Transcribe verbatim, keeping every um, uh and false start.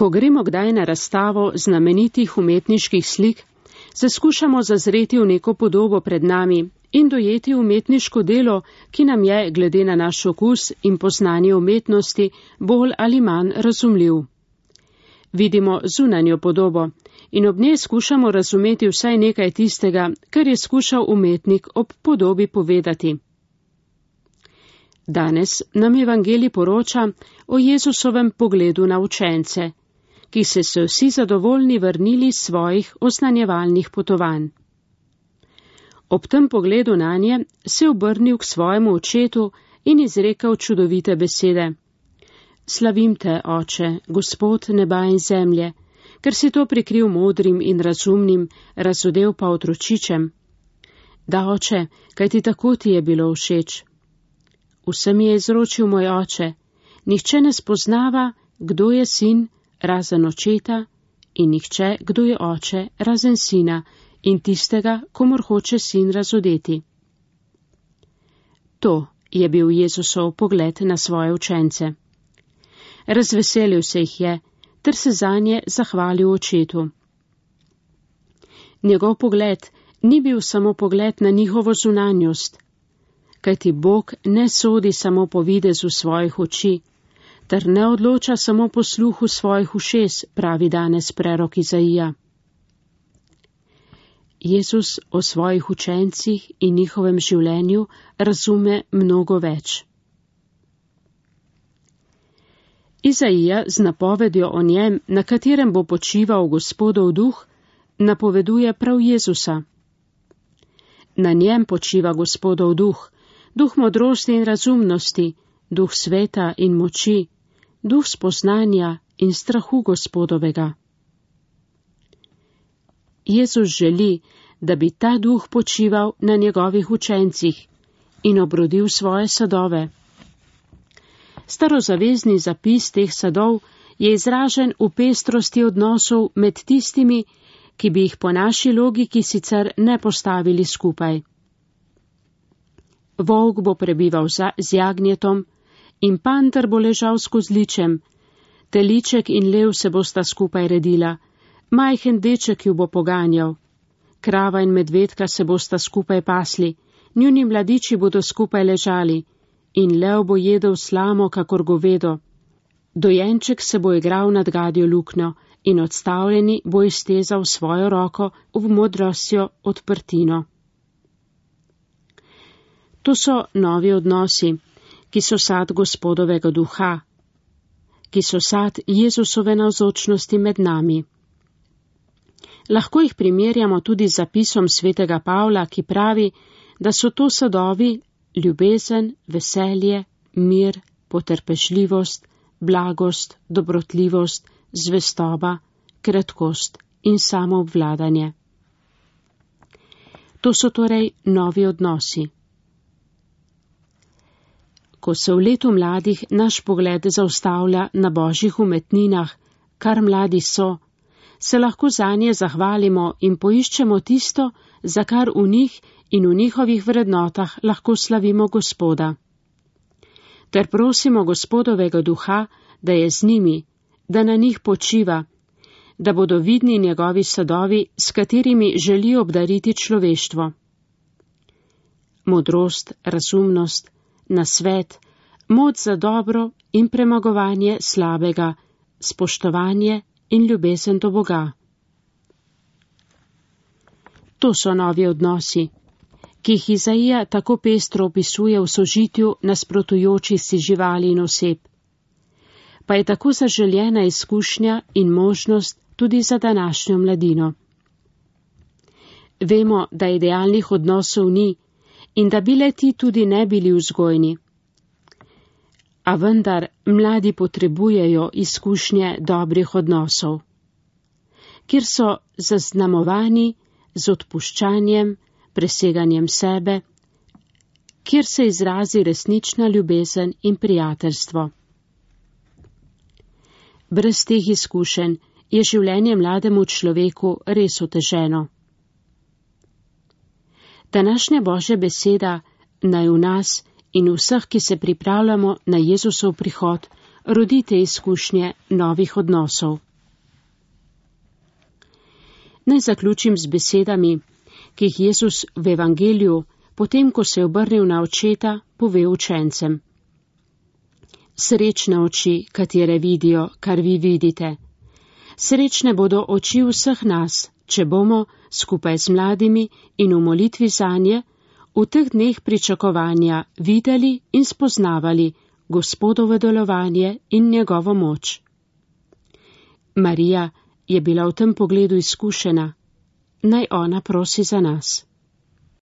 Ko gremo kdaj na razstavo znamenitih umetniških slik, se skušamo zazreti v neko podobo pred nami in dojeti umetniško delo, ki nam je, glede na naš okus in poznanje umetnosti, bolj ali manj razumljiv. Vidimo zunanjo podobo in ob njej skušamo razumeti vsaj nekaj tistega, kar je skušal umetnik ob podobi povedati. Danes nam evangelij poroča o Jezusovem pogledu na učence, ki se so vsi zadovoljni vrnili iz svojih oznanjevalnih potovanj. Ob tem pogledu nanje se je obrnil k svojemu očetu in izrekel čudovite besede. Slavim te, oče, Gospod neba in zemlje, ker si to prikril modrim in razumnim, razodel pa otročičem. Da, oče, kaj ti tako ti je bilo všeč. Vsem je izročil moj oče, nihče ne spoznava, kdo je sin, razen očeta, in nihče, kdo je oče, razen sina, in tistega, komor hoče sin razodeti. To je bil Jezusov pogled na svoje učence. Razveselil se jih je, ter se zanje zahvalil očetu. Njegov pogled ni bil samo pogled na njihovo zunanjost, kajti Bog ne sodi samo po videzu svojih oči, ter ne odloča samo po sluhu svojih ušes, pravi danes prerok Izaija. Jezus o svojih učencih in njihovem življenju razume mnogo več. Izaija z napovedjo o njem, na katerem bo počival Gospodov duh, napoveduje prav Jezusa. Na njem počiva Gospodov duh, duh modrosti in razumnosti, duh sveta in moči, duh spoznanja in strahu Gospodovega. Jezus želi, da bi ta duh počival na njegovih učencih in obrodil svoje sadove. Starozavezni zapis teh sadov je izražen v pestrosti odnosov med tistimi, ki bi jih po naši logiki sicer ne postavili skupaj. Volk bo prebival z jagnjetom in panter bo ležal s kozličem, teliček in lev se bosta skupaj redila, majhen deček ju bo poganjal, krava in medvedka se bosta skupaj pasli, njuni mladiči bodo skupaj ležali, in lev bo jedel slamo, kakor govedo. Dojenček se bo igral nad gadjo luknjo in odstavljeni bo iztezal svojo roko v modrostjo odprtino. To so novi odnosi, ki so sad Gospodovega duha, ki so sad Jezusove navzočnosti med nami. Lahko jih primerjamo tudi z zapisom svetega Pavla, ki pravi, da so to sadovi ljubezen, veselje, mir, potrpežljivost, blagost, dobrotljivost, zvestoba, kratkost in samoobvladanje. To so torej novi odnosi. Ko se v letu mladih naš pogled zaustavlja na božjih umetninah, kar mladi so, se lahko zanje zahvalimo in poiščemo tisto, za kar v njih in v njihovih vrednotah lahko slavimo Gospoda. Ter prosimo Gospodovega duha, da je z njimi, da na njih počiva, da bodo vidni njegovi sadovi, s katerimi želi obdariti človeštvo. Modrost, razumnost, nasvet, moč za dobro in premagovanje slabega, spoštovanje in ljubezen do Boga. To so novi odnosi, ki jih Izaija tako pestro opisuje v sožitju nasprotujočih si živali in oseb. Pa je tako zaželjena izkušnja in možnost tudi za današnjo mladino. Vemo, da idealnih odnosov ni in da bi le-ti tudi ne bili vzgojni. A vendar mladi potrebujejo izkušnje dobrih odnosov, kjer so zaznamovani z odpuščanjem, preseganjem sebe, kjer se izrazi resnična ljubezen in prijateljstvo. Brez teh izkušenj je življenje mlademu človeku res oteženo. Današnja Božja beseda naj v nas in vseh, ki se pripravljamo na Jezusov prihod, rodi te izkušnje novih odnosov. Naj zaključim z besedami, ki jih Jezus v evangeliju, potem ko se je obrnil na očeta, pove učencem. Srečne oči, katere vidijo, kar vi vidite. Srečne bodo oči vseh nas, če bomo, skupaj z mladimi in v molitvi zanje, v teh dneh pričakovanja videli in spoznavali Gospodovo delovanje in njegovo moč. Marija je bila v tem pogledu izkušena. Naj ona prosi za nas.